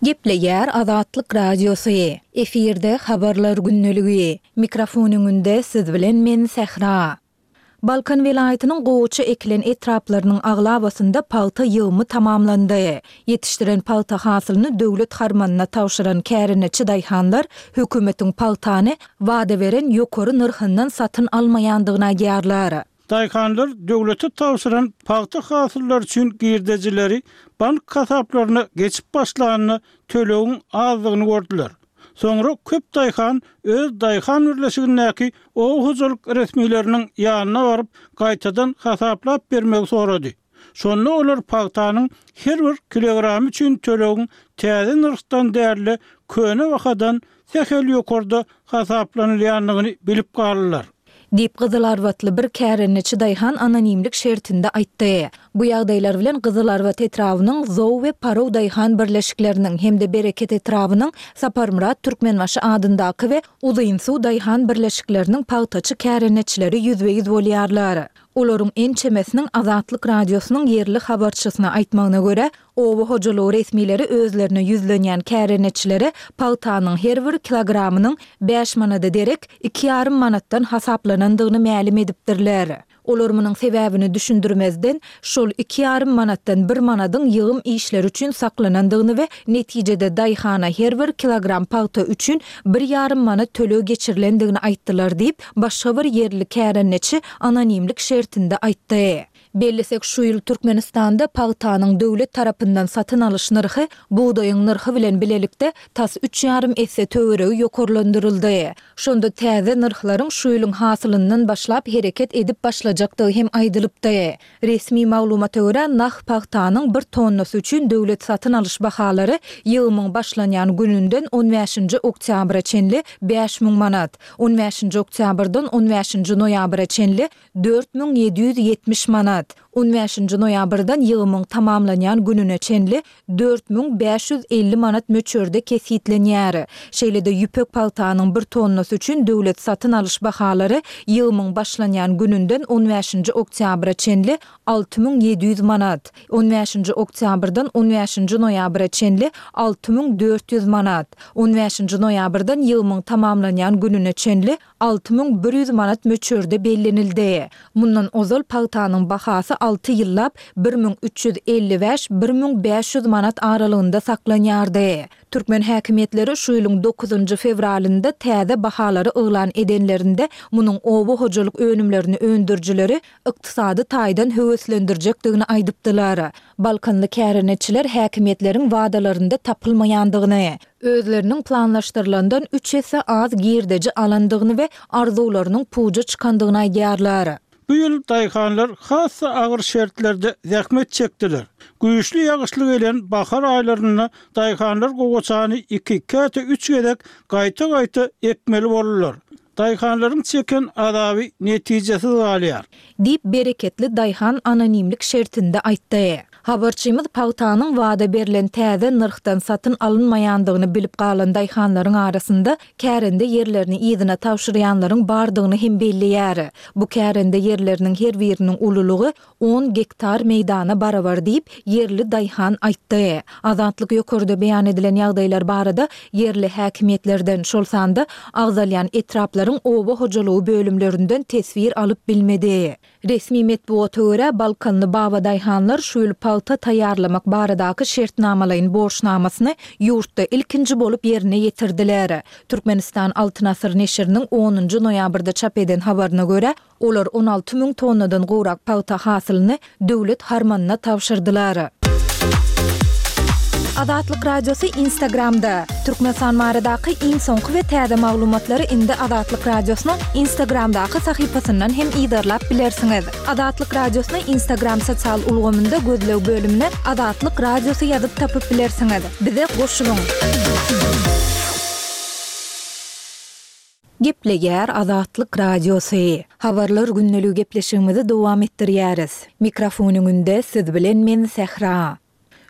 Gepleýär Azatlyk Radiosy, Efirde Habarlar gündeligi. Mikrofon öňünde siz bilen men Sähra. Balkan welaýatynyň gowaça ekilen etraplarynyň aglabasynda pagta ýygymy tamamlandy. Ýetişdiren pagta hasylyny döwlet harmanyna tabşyran kärendeçi daýhanlar hökümetiň pagtany wada beren ýokary nyrhyndan satyn almaýandygyny aýdýarlar. Daýhanlar döwlete tabşyran pagta hasyllary üçin girdejileri bank hasaplaryna geçip başlanda tölegiň azdygyny gördüler. Soňra köp daýhan öz daýhan birleşigindäki oba hojalyk resmileriniň ýanyna baryp, gaýtadan hasaplap bermegi sorady. Şonda olar pagtanyň her bir kilogramy üçin tölegiň täze nyrhdan däl-de, köne bahadan sähel ýokarda hasaplanylýandygyny bilip galdylar. Diýip, gyzylarbatly bir kärendeçi daýhan anonimlik şertinde aýtdy. Bu ýagdaýlar bilen Gyzylarbat etrabynyň Zow we Paraw daýhan birleşikleriniň hem-de Bereket etrabynyň Saparmyrat Türkmenbaşy adyndaky we Uzynsuw daýhan birleşikleriniň pagtaçy kärendeçileri ýüzbe-ýüz bolýarlar. Olaryň ençemesiniň Azatlyk Radiosynyň ýerli habarçysyna aýtmagyna görä, oba hojalygy resmileri özlerine ýüzlenýän kärendeçilere pagtanyň her bir kilogramynyň bäş manada derek iki ýarym manatdan hasaplanandygyny mälim edipdirler. Olar munuň sebäbini düşündirmezden, şol iki ýarym manatdan bir manadyň ýygym işleri üçin saklanandygyny we netijede daýhana her bir kilogram pagta üçin bir ýarym manat töleg geçirilendigini aýtdylar diýip, başga bir ýerli kärendeçi anonimlik şertinde aýtdy. Bellesek, şu ýyl Türkmenistanda pagtanyň döwlet tarapyndan satyn alyş nyrhy bugdaýyň nyrhy bilen bilelikde tas üç ýarym esse töweregi ýokarlandyryldy. Şonda täze nyrhlaryň şu ýylyň hasylyndan başlap hereket edip başlajakdygy hem aýdylypdy. Resmi maglumata görä, nah pagtanyň bir tonnasy üçin döwlet satyn alyş bahalary ýygymyň başlanýan gününden on bäşinji oktýabra çenli 5000 manat, on bäşinji oktýabrdan on bäşinji noýabra çenli 4770 manat, on bäşinji noýabrdan ýygymyň tamamlanýan gününe çenli 4550 manat möçberde kesgitlenýär. Şeýle-de ýüpek pagtanyň bir tonnasy üçin döwlet satyn alyş bahalary ýygymyň başlanýan gününden on bäşinji oktýabra çenli 6700 manat, on bäşinji oktýabrdan on bäşinji noýabra çenli 6400 manat, on bäşinji noýabrdan ýygymyň tamamlanýan gününe çenli 6100 manat möçberde bellenildi. Mundan ozal pagtanyň bahasy alty ýyllap 1355, 1500 manat aralygynda saklanýardy. Türkmen häkimiýetleri şu ýylyň dokuzynjy fewralynda täze bahalary yglan edenlerinde munuň oba hojalyk önümlerini öndürijileri ykdysady taýdan höweslendirjekdigini aýdypdylar. Balkanly kärendeçiler häkimiýetleriň wadalarynda tapylmaýandygyny, özleriniň planlaşdyrylandan üç esse az girdeji alandygyny we arzuwlarynyň puja çykandygyny aýdýarlar. Bu ýyl daýhanlar has-da agyr şertlerde zähmet çekdiler. Güýçli ýagyşly gelen bahar aýlarynda daýhanlar gowaçany iki, käte üç gezek gaýta-gaýta ekmeli boldular. Daýhanlaryň çeken azaby netijesiz galýar. Diýip, bereketli daýhan anonimlik şertinde aýtdy. Habarçymyz pagtanyň wada berlen täze nyrhdan satyn alynmaýandygyny bilip galan daýhanlaryň arasynda kärende ýerlerini yzyna tabşyrýanlaryň bardygyny hem belleýär. Bu kärende ýerleriniň her biriniň ululygy on gektar meýdana barabar diýip, ýerli daýhan aýtdy. Azatlyk ýokarda beýan edilen ýagdaýlar barada ýerli häkimiýetlerden, şol sanda agzalýan etraplaryň oba hojalygy bölümlerinden teswir alyp bilmedi. Resmi metbugata görä, balkanly babadaýhanlar şu ýyl pagta taýýarlamak baradaky şertnamalaýyn borçnamasyny ýurtda ilkinji bolup ýerine ýetirdiler. Türkmenistan Altyn asyr neşiriniň onunjy noýabrda çap eden habaryna görä, Olar 16 müň tonnadan gowrak pagta hasylyny döwlet harmanyna tabşyrdylar. Azatlyk Radiosy Instagramda, Türkmenistan baradaky iň soňky we täze maglumatlary indi Azatlyk Radiosynyň Instagramdaky sahypasyndan hem yzarlap bilersiňiz. Azatlyk Radiosyny Instagram sosial ulgamynda gözleg bölümine Azatlyk Radiosy ýazyp tapyp bilersiňiz. Bize goşulyň! Gepleýär Azatlyk Radiosy. Habarlar gündeligi gepleşigimizi dowam etdirýäris. Mikrofon öňünde siz bilen men Sähra.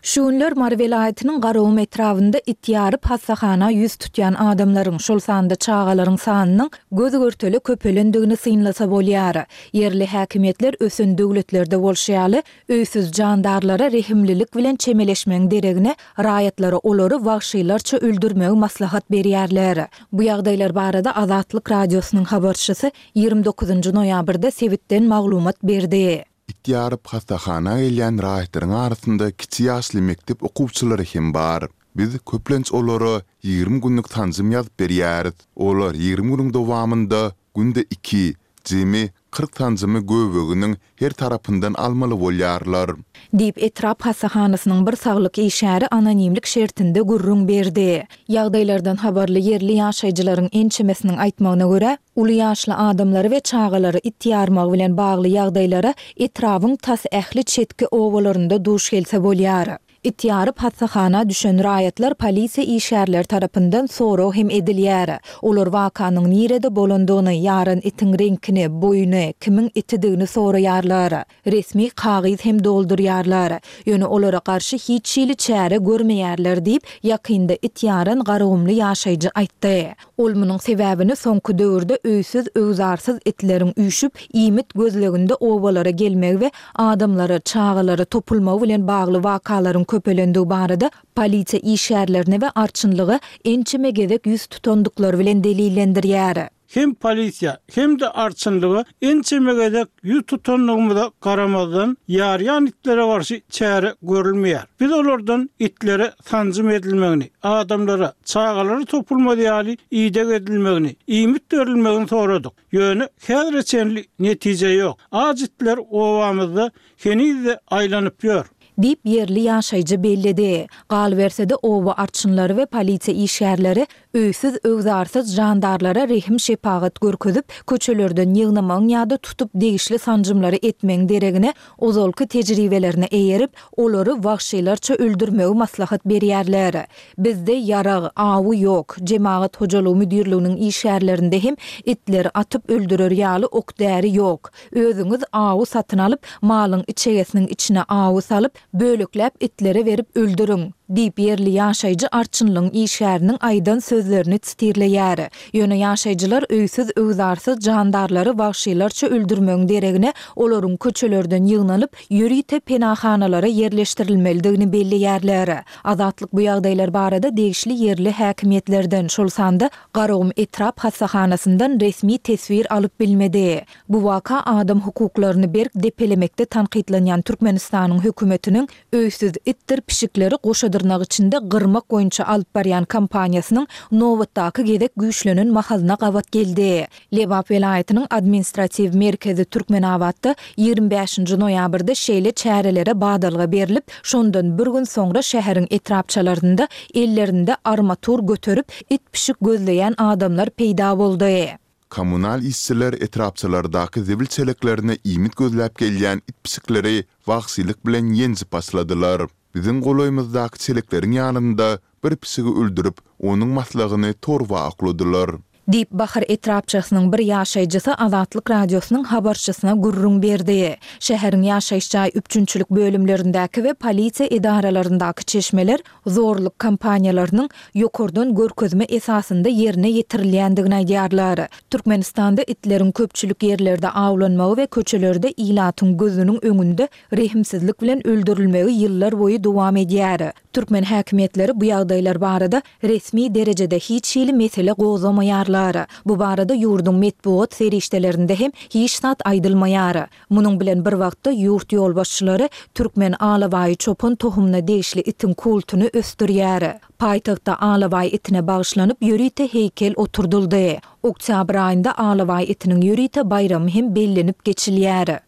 Şu günler Mary welaýatynyň Garagum etrabynda it ýaryp hassahana ýüz tutýan adamlaryň, şol sanda çagalaryň sanynyň göz-görtele köpelendigini synlasa bolýar. Ýerli häkimiýetler ösen döwletlerde bolşy ýaly, öýsüz jandarlara rehimlilik bilen çemeleşmegiň deregine, raýatlara olary wagşylarça öldürmegi maslahat berýärler. Bu ýagdaýlar barada Azatlyk Radiosynyň habarçysy 29 noýabrda sebitden maglumat berdi. It ýaryp hassahana gelýän raýatlaryň arasynda kiçi ýaşly mekdep okuwçylary hem bar. Biz köplenç olara 20 günlük sanjym ýazyp berýäris. Olar 20 günüň dowamynda günde iki, jemi 40 sanjymy göbeginiň her tarapyndan almaly bolýarlar. Diýip, etrap hassahanasynyň bir saglyk işgäri anonimlik şertinde gürrüň berdi. Ýagdaýlardan habarly ýerli ýaşaýjylaryň ençemesiniň aýtmagyna görä, Uly ýaşly adamlary we çagalary it ýarmagy bilen bagly ýagdaýlara etrabyň tas ähli çetki obalarynda duş gelse bolýar. It ýaryp hassahana düşen raýatlar polisiýa işgärleri tarapyndan sorag hem edilýär. Olar wakanyň nirede bolandygyny, ýaran itiň reňkini, boýuny, kimiň itidigini soraýarlar. Resmi kagyz hem doldurýarlar. Ýöne olara garşy hiç hili çäre görmeýärler diýip, ýakynda it ýaran garagumly ýaşaýjy aýtdy. Ol munuň sebäbini soňky döwürde öýsüz-öwzarsyz itleriň üýşüp, iýmit gözleginde obalara gelmegi we adamlara, çagalara topulmagy bilen bagly wakalaryň köpelendigi barada polisiýa işgärlerine we arçynlyga ençeme gezek ýüz tutandyklary bilen delillendirýär. Hem polisiýa, hem-de arçynlyga ençeme gezek ýüz tutandygymyza garamazdan, ýarýan itlere garşy çäre görülmeýär. Biz olardan itlere sanjym edilmegini, adamlara, çagalara topulmaz ýaly ideg edilmegini, iýmit berilmegini soradyk. Ýöne häzire çenli netije ýok. Aç itler obamyzda heniz-de aýlanyp ýör. Diýip, ýerli ýaşaýjy belledi. Galyberse-de, oba arçynlary we polisiýa işgärleri öýsüz-öwzarsyz jandarlara rehim-şepagat görkezip, köçelerden ýygnamagyň ýa-da tutup degişli sanjymlary etmegiň deregine, ozalky tejribelerine eýerip, olary wagşylarça öldürmegi maslahat berýärler. Bizde ýarag, awy ýok. Jemagat hojalygy müdirliginiň işgärlerinde hem itleri atyp öldürer ýaly ok-däri ýok. Özüňiz awy satyn alyp, malyň içegesiniň içine awy salyp, bölekläp itlere berip öldüriň! Diýip, ýerli ýaşaýjy arçynlygyň işgäriniň aýdan sözlerini sitirleýär. Ýöne ýaşaýjylar öýsüz-öwzarsyz jandarlary wagşylarça öldürmegiň deregine, olaryň köçelerden ýygnalyp, ýörite penahanalara ýerleşdirilmelidigini belleýärler. Azatlyk bu ýagdaýlar barada degişli ýerli häkimiýetlerden, şol sanda Garagum etrap hassahanasyndan resmi teswir alyp bilmedi. Bu waka adam hukuklaryny berk depelemekde tankytlanýan Türkmenistanyň hökümetiniň öýsüz itdir pişikleri goşa dyrnak içinde gyrmak boýunça alyp barýan kampaniýasynyň nobatdaky gezek güýçlenen mahalyna gabat geldi. Lebap welaýatynyň administratiw merkezi Türkmenabatda 25-nji noýabrda şeýle çärelere badalga berlip, şondan bir gün soňra şäheriň etrapçalarynda ellerinde armatur göterip, it-pişik gözleýän adamlar peýda boldy. Kommunal işçiler etrapçalardaky zibil çeleklerine iýmit gözläp gelýän it-pişikleri wagşylyk bilen ýenjip başladylar. Biziň golaýymyzdaky çelekleriň ýanynda bir pişigi öldürip, onuň maslygyny torba okladylar. Diýip, Bahar etrapçasynyň bir ýaşaýjysy Azatlyk Radiosynyň habarçysyna gürrüň berdi. Şäheriň ýaşaýyş jaý üpjünçilik bölümlerindäki we polisiýa edaralaryndaky çeşmeler zorluk kampaniýalarynyň ýokardan görkezme esasynda ýerine ýetirilýändigini aýdýarlar. Türkmenistanda itleriň köpçülik ýerlerde awlanmagy we köçelerde ilatyň gözüniň öňünde rehimsizlik bilen öldürilmegi ýyllar boýy dowam edýär. Türkmen häkimiýetleri bu ýagdaýlar barada resmi derejede hiç hili mesele gozgamaýarlar. Bu barada ýurduň metbugat serişdelerinde hem hiç zat aýdylmaýar. Munuň bilen bir wagtda ýurt ýolbaşçylary türkmen alabaýy çopan tohumyna degişli itiň kultuny ösdürýär. Paýtagtda alabaý itine bagyşlanyp ýörite heýkel oturdyldy. Oktýabr aýynda alabaý itiniň ýörite baýramy hem bellenip geçilýär.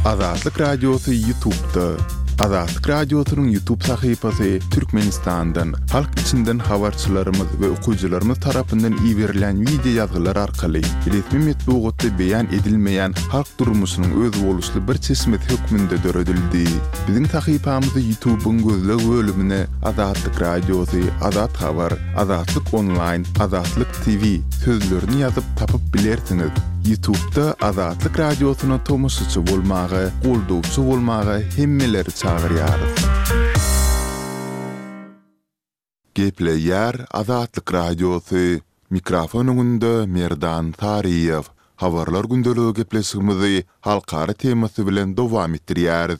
Azatlyk Radiosy YouTube'da. Azatlyk Radiosynyň YouTube sahypasy Türkmenistandan, halk içinden habarçylarymyz we okyjylarymyz tarapyndan iberilen wideo ýazgylar arkaly resmi metbugatda beýan edilmeýän halk durmuşynyň özboluşly bir çeşmesi hökmünde döredildi. Biziň sahypamyzy YouTube'yň gözleg bölümine Azatlyk Radiosy, Azat Habar, Azatlyk Onlaýn, Azatlyk TV sözlerini ýazyp tapyp bilersiňiz. Ýutubda Azatlyk Radiosyna tomaşaçy bolmaga, goldawçy bolmaga hemmeleri çagyrýarys. Gepleýär Azatlyk Radiosy, Mikrofon öňünde Merdan Saryýew. Habarlar gündeligi gepleşigimizi halkara temasy bilen dowam etdirýäris.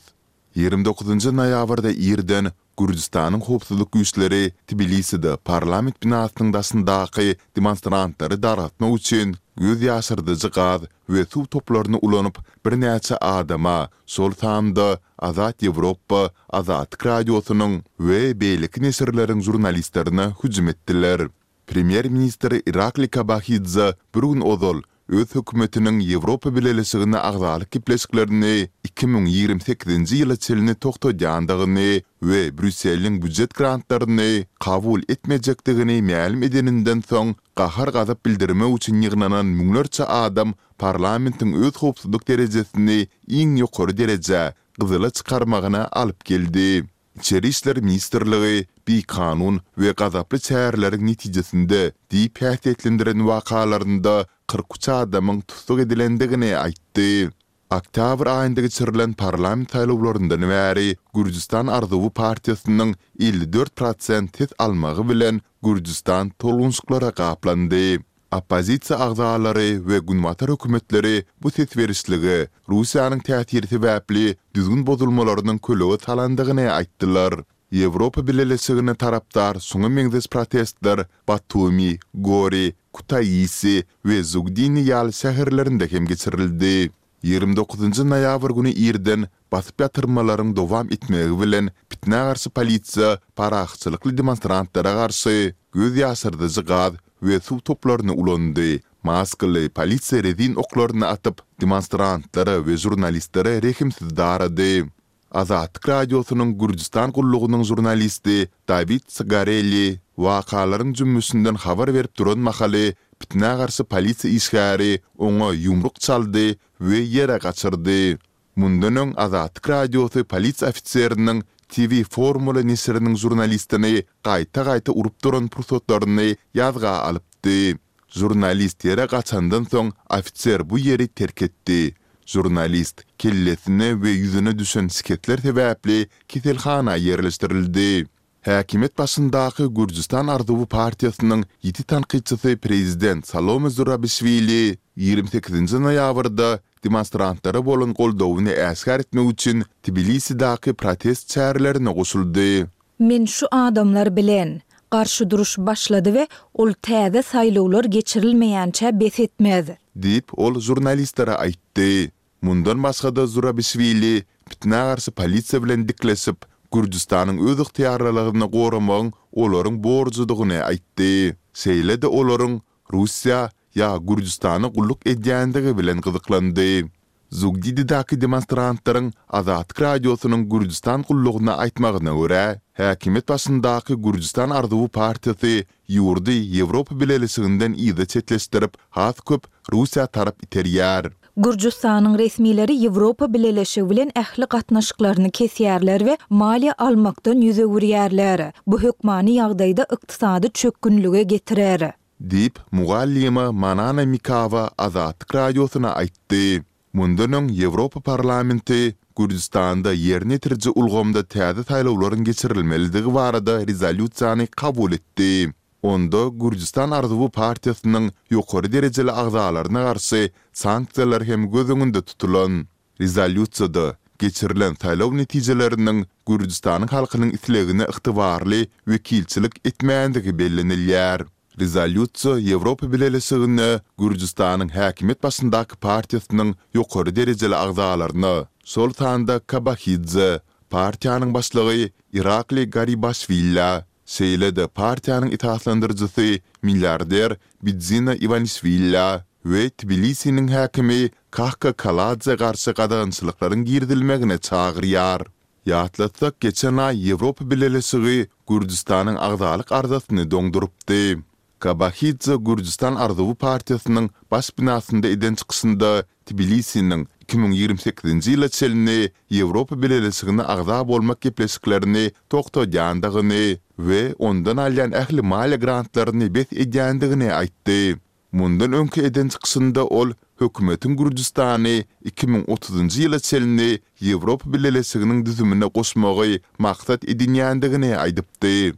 29 noýabrda irden Gürjüstanyň howpsuzlyk güýçleri Tbiliside parlament binasynyň daşyndaky demonstrantlary dargatmak üçin göz ýaşardyjy gaz we suw toplaryny ulanyp, birnäçe adama, şol sanda Azat Ýewropa, Azatlyk Radiosynyň we beýleki neşirleriň žurnalistlerine hüjüm etdiler. Premýer-ministr Irakli Kobahidze bir gün ozal öz hökümetiniň Ýewropa Bileleşigine agzalyk gepleşiklerini 2028-nji ýyla çenli togtadýandygyny we Brýusseliň býujet grantlaryny kabul etmejekdigini mälim edeninden soň gahar-gazap bildirmek üçin ýygnanan müňlerçe adam parlamentiň öz howpsuzlyk derejesini iň ýokary derejä, gyzyla çykarmagyna alyp geldi. Içeri işler ministrligi bikanun we gazaply çäreleriň netijesinde diýip häsiýetlendiren wakalarynda 43 adamyň tussag edilendigini aýtdy. Oktýabr aýynda geçirilen parlament saýlawlaryndan bäri Gürjüstan arzuwy partiýasynyň 54 prosent ses almagy bilen Gürjüstan tolgunşyklara gaplandy. Oppozisiýa agzalary we günbatar hökümetleri bu ses berişlige Russiýanyň täsiri sebäpli düzgün bozulmalarynyň kölege salandygyny aýtdylar. Ýewropa Bileleşigine tarapdar şuňa meňzeş protestler Batumi, Gori, Kutaisi we Zugdini ýaly şäherlerinde hem geçirildi. 29 noýabr güni irden basyp ýatyrmalaryň dowam etmegi bilen pitnä garşy polisiýa parahatçylykly demonstrantlara garşy göz ýaşardyjy gaz we suw toplaryny ulandy, maskaly polisiýa rezin oklaryny atyp, demonstrantlara we žurnalistlere rehimsiz darady. Azatlyk Radiosynyň Gürjüstan gullugynyň žurnalisti Dawid Sgareli wakalaryň jümmüşinden habar berip duran mahaly pitnä garşy polisiýa işgäri oňa ýumruk çaldy we ýere gaçyrdy. Mundan öň Azatlyk Radiosy polisiýa ofiseriniň TV Formula neşiriniň žurnalistini gaýta-gaýta urup duran pursatlaryny ýazga alypdy. Žurnalist ýere gaçandan soň ofiser bu ýeri terk etdi. Žurnalist kellesine we ýüzüne düşen şikesler sebäpli keselhana ýerleşdirildi. Häkimiýet başyndaky Gürjüstan arzuwy partiýasynyň ýiti tankytçysy prezident Salome Zurabişwili 28 noýabrda demonstrantlara bolan goldawyny äşgär etmek üçin Tbilisidaky protest çärelerine goşuldy. Men şu adamlar bilen. Garşy duruş başlady we ol täze saýlawlar geçirilmeýänçä bes etmez. Diýip, ol žurnalistlere aýtdy. Mundan başga-da Zurabişwili pitnä garşy polisiýa bilen dikleşip, Gürjüstanyň özygtyýarlylygyny goramagyň olaryň borjudygyny aýtdy. Şeýle-de olaryň Russiýa ýa Gürjüstana gulluk edýändigi bilen gyzyklandy. Zugdididäki demonstrantlaryň Azatlyk Radiosynyň Gürjüstan gullugyna aýtmagyna görä, häkimiýet başyndaky Gürjüstan arzuwy partiýasy ýurdy Ýewropa Bileleşiginden yza çetleşdirip, has köp Russiýa tarap iterýär. Gürjüstanyň resmileri Ýewropa Bileleşigi bilen ähli gatnaşyklaryny kesýärler we maliýe almakdan ýüz öwürýärler. Bu hökmany ýagdaýda ykdysady çökgünlige getirer. Diýip, mugallyma Manana Mikawa Azatlyk Radiosyna aýtdy. Mundan öň Ýewropa Parlamenti Gürjüstanda ýerine ýetiriji ulgamda täze saýlawlaryň geçirilmelidigi barada rezolýusiýany kabul etdi. Onda Gürjüstan arzuwy partiýasynyň ýokary derejeli agzalaryna garşy sanksiýalar hem göz öňünde tutulan. Rezolýusiýada geçirilen saýlaw netijeleriniň Gürjüstanyň halkynyň islegine ygtybarly wekilçilik etmändigi bellenilýär. Rezolýusiýa Ýewropa Bileleşigine Gürjüstanyň häkimiýet başyndaky partiýasynyň ýokary derejeli agzalaryna, şol sanda Kobahidze, partiýanyň başlygy Irakli Garibaşwillä, şeýle-de partiýanyň esaslandyryjysy milliarder Bidzina Iwanişwillä we Tbilisiniň häkimi Kahka Kaladze garşy gadagançylyklaryň girizilmegine çagyrýar. Ýatlatsak, geçen aý Ýewropa Bileleşigi Gürjüstanyň agzalyk arzasyny doňdurypdy. Kobahidze Gürjüstan arzuwy partiýasynyň baş binasynda eden çykyşynda Tbilisiniň 2028-nji ýyla çenli Ýewropa Bileleşigine agza bolmak gepleşiklerini togtadýandygyny we ondan alýan ähli maliýe grantlaryny bes edýändigini aýtdy. Mundan öňki eden çykyşynda ol. hökümetiň Gürjüstany 2030-njy ýyla çenli Ýewropa Bileleşiginiň düzümine goşmagy maksat edinýändigini aýdypdy.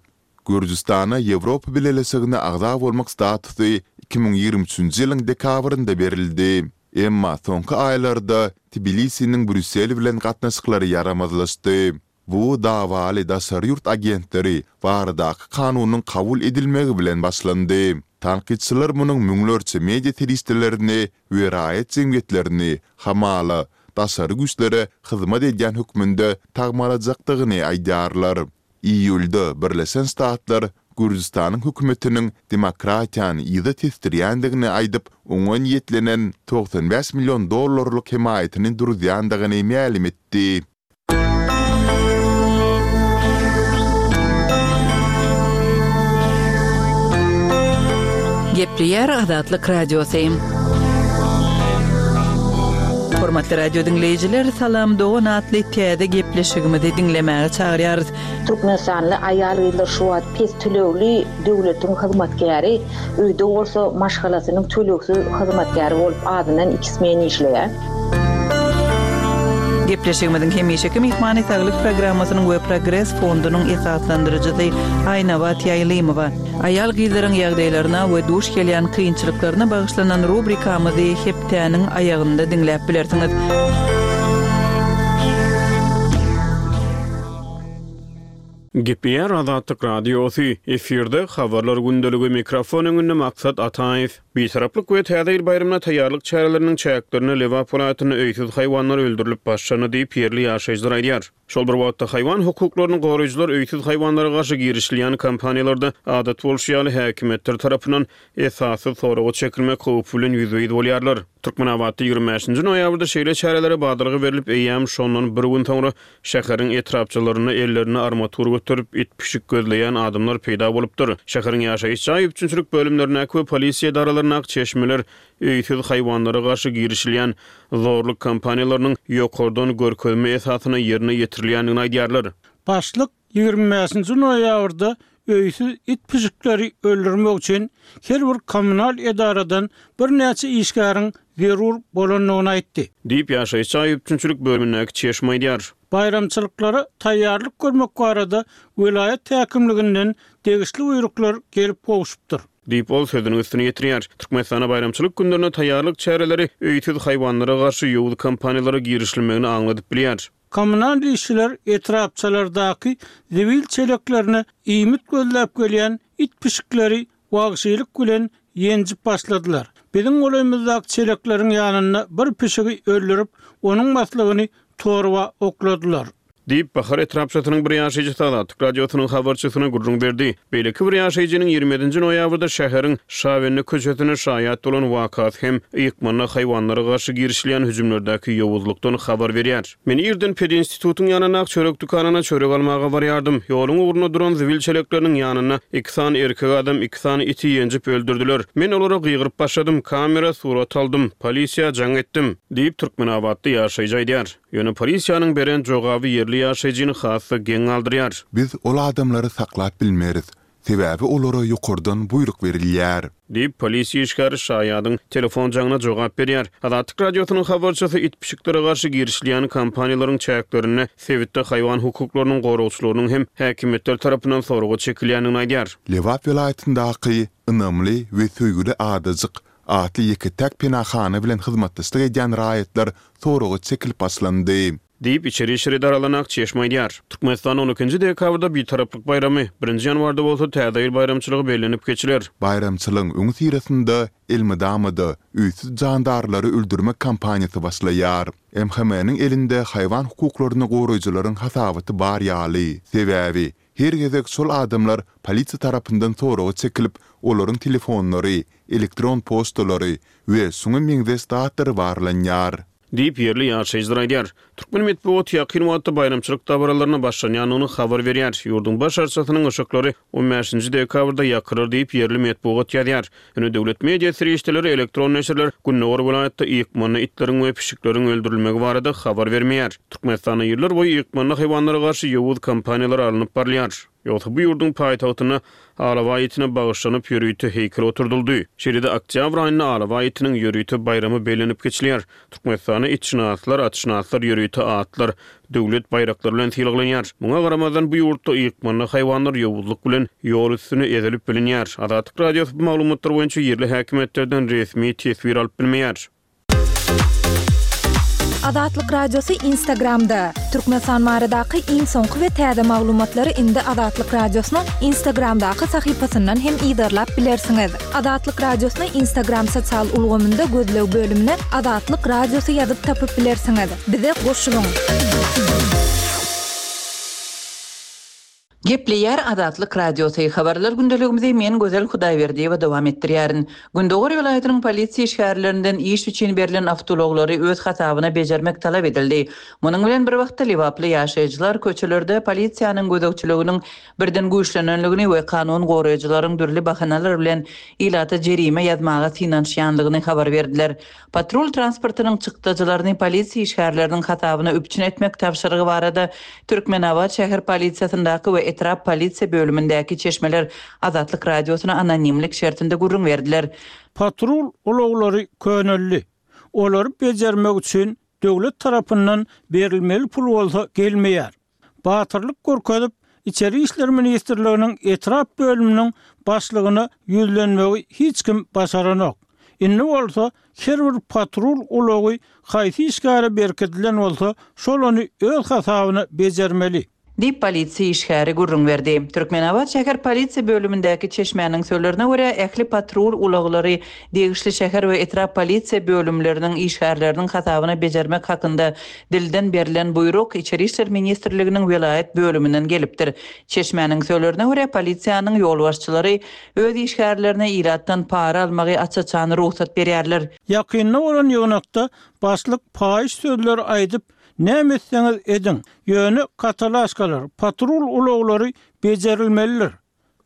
Gürjüstana Ýewropa Bileleşigine agza bolmak statusy 2023-nji ýylyň dekabrynda berildi. Emma soňky aýlarda Tbilisiniň Brýussel bilen gatnaşyklary ýaramazlaşdy. Bu dawaly daşary ýurt agentleri baradaky kanunyň kabul edilmegi bilen başlandy. Tankytçylar munuň müňlerçe media serişdelerini we raýat jemgyýetlerini, hamala, daşary güýçlere hyzmat edýän hökmünde tagmalajakdygyny aýdýarlar. Iýulda Birleşen Ştatlar Gürjüstanyň hökümetiniň demokratiýany yza tesdirýändigini aýdyp, oňa niýetlenen 95 million dollarlyk hemaýatyny duruzýandygyny mälim etdi. Gepleýär Azatlyk Radiosy. Hormatly radio diňleýjiler, Salam dogan atly täze gepleşigimizi diňlemäge çagyrýarys. Türkmenistanly aýal-gyzlar şu wagt pes tölegli döwletiň hyzmatkäri, öýde bolsa maşgalasynyň tölegsiz hyzmatkäri bolup azyndan iki smen işleýär. Gepleşigimiziň hemişeki myhmany Saglyk programmasynyň we Progres fondunyň esaslandyryjysy Aýnabat Ýaýlymowa. Aýal-gyzlaryň ýagdaýlaryna we duş gelýän kynçylyklaryna bagyşlanan rubrikamyzy hepdäniň aýagynda diňläp bilersiňiz. Gepleýär Azatlyk Radiosy, efirde Habarlar gündeligi, mikrofon öňünde Maksat Ataýew. Bitaraplyk we Täze ýyl baýramyna taýýarlyk çäreleriniň çäklerinde Lebap welaýatynda öýsüz haýwanlar öldürilip başlandy diýip, ýerli ýaşaýjylar aýdýar. Şol bir wagtda, haýwan hukuklaryny goraýjylar öýsüz haýwanlara garşy girişilýän kampaniýalarda, adat bolşy ýaly, häkimiýetler tarapyndan esassyz soraga çekilmek howpy bilen ýüzbe-ýüz bolýarlar. Türkmenabatda 25 nji noýabrda şeýle çärelere badalga berlip, eýýäm şondan bir gün soňra şäheriň etrapçalarynda ellerinde armatur göterip, it-pişik gözleýän adamlar peýda bolupdyr. Şäheriň ýaşaýyş jaý üpjünçilik bölümlerindäki we polisiýa edaralaryndaky çeşmeler öýsüz haýwanlara garşy girişilýän zorluk kampaniýalarynyň ýokardan görkezme esasynda ýerine ýetirilýändigini aýdýarlar. Başlyk 25-nji noýabrda öýsüz it-pişikleri öldürmek üçin her bir kommunal edaradan birnäçe işgäriň zerur bolandygyny aýtdy. Diýip, ýaşaýyş jaý üpjünçilik bölümindäki çeşme aýdýar. Baýramçylyklara taýýarlyk görmek barada welaýat häkimliginden degişli buýruklar gelip gowşupdyr. Diýip, ol sözüniň üstüni ýetirýär. Türkmenistanda baýramçylyk günlerine taýýarlyk çäreleri öýsüz haýwanlara garşy ýowuz kampaniýalara girişilmegini aňladyp bilýär. Kommunal işçiler etrapçalardaky zibil çeleklerine iýmit gözläp gelýän it-pişikleri wagşylyk bilen ýenjip başladylar. Biziň golaýymyzdaky çelekleriň ýanynda bir pişigi öldürip, onuň maslygyny torba okladylar. Diýip, Bahar etrapçasynyň bir ýaşaýjysy Azatlyk Radiosynyň habarçysyna gürrüň berdi. Beýleki bir ýaşaýjynyň 27 nji noýabrda şäheriň Şabende köçesinde şaýat bolan wakasy hem ykmanda haýwanlara garşy girişilýän hüjümlerdäki ýowuzlykdan habar berýär. Men irden pedinstitutyň ýanyndaky çörek dükanyna çörek almaga barýardym. Ýoluň ugrunda duran zibil çelekleriniň ýanynda iki sany erkek adam iki sany iti ýenjip öldürdiler. Men olara gygyryp başladym, kamera surat aldym, polisiýa jaň etdim. Diýip, türkmenabatly ýaşaýjy aýdýar. Ýöne polisiýanyň beren jogaby ýerli ýaşaýjyny has-da geň galdyrýar. Biz ol adamlary saklap bilmeris, sebäbi olara ýokardan buýruk berilýär. Diýip, polisiýa işgäri şaýadyň telefon jaňyna jogap berýär. Azatlyk Radiosynyň habarçysy it-pişiklere garşy girişilýän kampaniýalaryň çäklerinde sebitde haýwan hukuklarynyň goragçylarynyň hem häkimiýetler tarapyndan soraga çekilýändigini aýdýar. Lebap welaýatyndaky Ynamly we söýgüli adajyk atly ýeke-täk penahana bilen hyzmatdaşlyk edýän raýatlar soraga çekilip başlandy. Diýip, içeri işler edaralaryna çeşme aýdýar. Türkmenistanda on ikinji dekabrda Bitaraplyk baýramy, birinji ýanwarda bolsa Täze ýyl baýramçylygy bellenip geçiler. Baýramçylygyň öňüsyrasynda elmydama-da öýsüz jandarlary öldürmek kampaniýasy başlaýar. MHM-niň elinde haýwan hukuklaryny goraýjylaryň hasabaty bar ýaly. Sebäbi, Her gezek şol adamlar polisiýa tarapyndan soraga çekilip, olaryň telefonlary, elektron poçtalary we şuňa meňzeş zatlary barlanýar. Diýip, ýerli ýaşaýjylar aýdýar. Türkmen metbugaty ýakyn wagtda baýramçylyk dabaralaryna başlanýandygyny habar berýär. Ýurduň baş arçasynyň yşyklary on bäşinji dekabrda ýakylar diýip, ýerli metbugat ýazýar. Ýöne döwlet media serişdeleri, elektron neşirler gündogar welaýatda ýykmanda itleriň we pişikleriň öldürilmegi barada habar bermeýär. Türkmenistanda ýyllar boýy ýykmanda haýwanlara garşy ýowuz kampaniýalar alnyp barylýar. Ýogsa bu ýurduň paýtagtynda alabaý itine bagyşlanyp ýörite heýkel oturdyldy. Şeýle-de oktýabr aýynda alabaý itiniň ýörite baýramy bellenip geçilýär. Türkmenistanda itşynaslar, atşynaslar ýörite atlar, döwlet baýraklary bilen sylaglanýar. Muňa garamazdan, bu ýurtda ykmanda haýwanlar ýowuzlyk bilen ýol üstünde ezilip bilinýär. Azatlyk Radiosy bu maglumatlar boýunça ýerli häkimiýetlerden resmi teswir alyp bilmeýär. Azatlyk Radiosy Instagramda, Türkmenistan baradaky iň soňky we täze maglumatlary indi Azatlyk Radiosynyň Instagramdaky sahypasyndan hem yzarlap bilersiňiz. Azatlyk Radiosyny Instagram sosial ulgamynda gözleg bölümine Azatlyk Radiosy ýazyp tapyp bilersiňiz. Bize goşulyň! Gepleýär Azatlyk Radiosy, Habarlar gündeligimizi men Gözel Hudaýberdiýewa dowam etdirýärin. Gündogar welaýatynyň polisiýa işgärlerinden iş üçin berlen awtoulaglary öz hasabyna bejermek talap edildi. Munuň bilen bir wagtda lebaply ýaşaýjylar köçelerde polisiýanyň gözegçiliginiň birden güýçlenenligini we kanun goraýjylaryň dürli bahanalar bilen ilata jerime ýazmaga synanyşýanlygyny habar berdiler. Patrul transportynyň çykdajylaryny polisiýa işgärleriniň hasabyna üpjün etmek tabşyrygy barada Türkmenabat şäher polisiýasyndaky we etrap polisiýa bölümindäki çeşmeler Azatlyk Radiosyna anonimlik şertinde gürrüň berdiler. Patrul ulaglary köneldi. Olary bejermek üçin döwlet tarapyndan berilmeli pul bolsa gelmeýär. Batyrlyk görkezip, Içeri işler ministrliginiň etrap bölüminiň başlygyna ýüzlenmegi hiç kim başaranok. Indi bolsa her bir patrul ulagy haýsy işgäre berkidilen bolsa, şol ony öz hasabyna bejermeli. Diýip, polisiýa işgäri gürrüň berdi. Türkmenabat şäher polisiýa bölümindäki çeşmäniň sözlerine görä, ähli patrul ulaglary degişli şäher we etrap polisiýa bölümleriniň işgärleriniň hasabyna bejermek hakynda dilden berlen buýruk Içeri işler ministrliginiň welaýat bölüminden gelipdir. Çeşmäniň sözlerine görä, polisiýanyň ýolbaşçylary öz işgärlerine ilatdan para almagy aç-açan rugsat berýärler. Ýakynda bolan ýygnakda başlyk paýyş sözleri aýdyp, Näme etseňiz ediň, ýöne katalaşkalar, patrul ulaglary bejerilmelidir.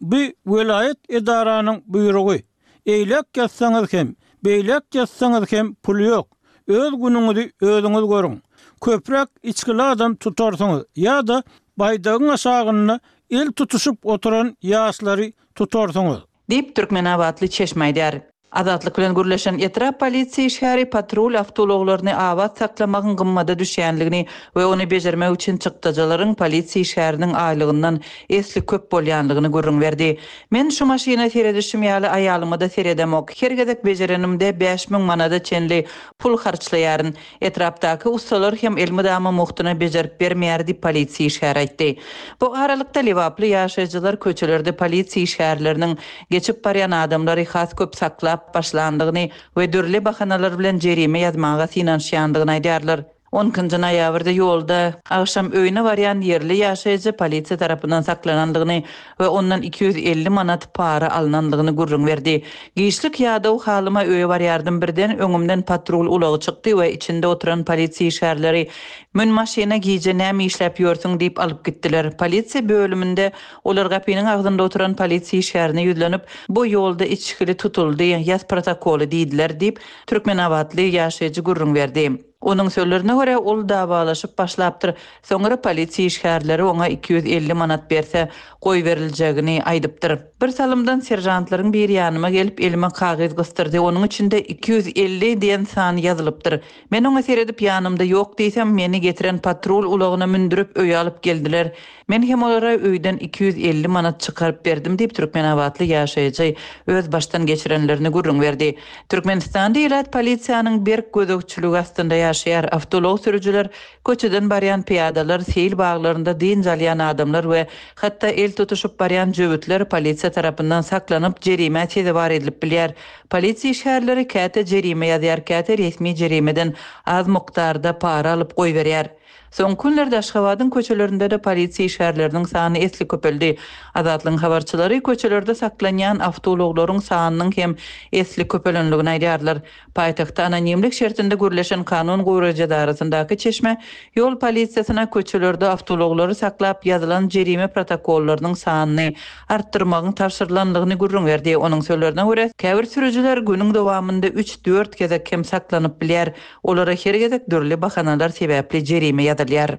Bu welaýat edaranyň buýrugy. Eýläk ýatsaňyz hem, beýläk ýatsaňyz hem pul ýok. Öz günüňizi özüňiz görüň. Köpräk içgili adam tutarsyňyz ýa-da baýdagyň aşagynda el tutuşyp oturan ýaşlary tutarsyňyz. Diýip, türkmenabatly çeşme aýdýar. Azatlyk bilen gürleşen etrap polisiýa işgäri patrul awtoulaglaryny abat saklamagyň gymmada düşýänligini we ony bejermek üçin çykdajylaryň polisiýa işgäriniň aýlygyndan esli köp bolýanlygyny gürrüň berdi. Men şu maşyna seredişim ýaly aýalyma-da seredemok. Her gezek bejerenimde 5000 manada çenli pul harçlaýaryn. Etrapdaky ussalar hem elmydama mugtuna bejerip bermeýär diýip, polisiýa işgäri aýtdy. Bu aralykda, lebaply ýaşaýjylar köçelerde polisiýa işgärleriniň geçip barýan adamlary has köp saklap başlandygyny we dürli bahanalar bilen jerime ýazmaga synanyşýandygyny aýdýarlar. On ikinji noýabrda ýolda agşam öýüne barýan ýerli ýaşaýjy polisiýa tarapyndan saklanandygyny we ondan 250 manat para alnandygyny gürrüň berdi. Giçlik ýadaw halyma öýe barýardym, birden öňümden patrul ulagy çykdy we içinde oturan polisiýa işgärleri Mün maşyna gije näme işläp ýörsüň diýip alyp gitdiler. Polisiýa bölüminde olar gapynyň agzynda oturan polisiýa işgärine ýüzlenip, Bu ýolda içgili tutuldy, ýaz protokoly diýdiler diýip, türkmenabatly ýaşaýjy gürrüň berdi. Onuň sözlerine görä, ol dawalaşyp başlapdyr. Soňra polisiýa işgärleri oňa 250 manat berse, goýberiljegini aýdypdyr. Bir salymdan seržantlaryň biri ýanyma gelip, elime kagyz gysdyrdy. Onuň içinde 250 diýen san ýazylypdyr. Men oňa seredip, ýanymda ýok diýsem, meni getiren patrul ulagyna mündürip, öýe alyp geldiler. Men hem olara öýden 250 manat çykaryp berdim diýip, türkmenabatly ýaşaýjy öz başdan geçirenlerini gürrüň berdi. Türkmenistanda ilat polisiýanyň berk gözegçiligi astynda ýaşaýar. Awtoulag sürüjiler, köçeden barýan pyýadalar, seýil baglarynda dynç alýan adamlar we hatda el tutuşyp barýan jöwütler polisiýa tarapyndan saklanyp, jerimä sezewar edilip bilýär. Polisiýa işgärleri käte jerime ýazýar, käte resmi jerimeden az mukdarda para alyp goýberýär. Soňky günlerde Aşgabadyň köçelerinde-de polisiýa işgärleriniň sany esli köpeldi. Azatlygyň habarçylary köçelerde saklanýan awtoulaglaryň sanynyň hem esli köpelendigini aýdýarlar. Paýtagtda anonimlik şertinde gürleşen kanun goraýjy edarasyndaky çeşme ýol polisiýasyna köçelerde awtoulaglary saklap ýazylan jerime protokollarynyň sanyny artdyrmagyň tabşyrylandygyny gürrüň berdi. Onuň sözlerine görä, käbir sürüjiler günüň dowamynda üç-dört gezek hem saklanyp bilýär. Olara her gezek dürli bahanalar sebäpli jerime ýazylýar.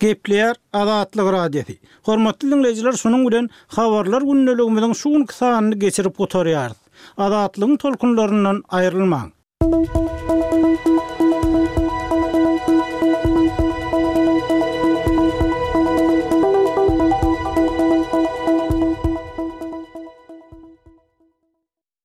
Gepleýär Azatlyk Radiosy. Hormatly diňleýjiler şunuň bilen Habarlar gündeligimiziň şu günki sanyny geçirip gutarýarys. Azatlygyň tolkunlaryndan aýrylmaň.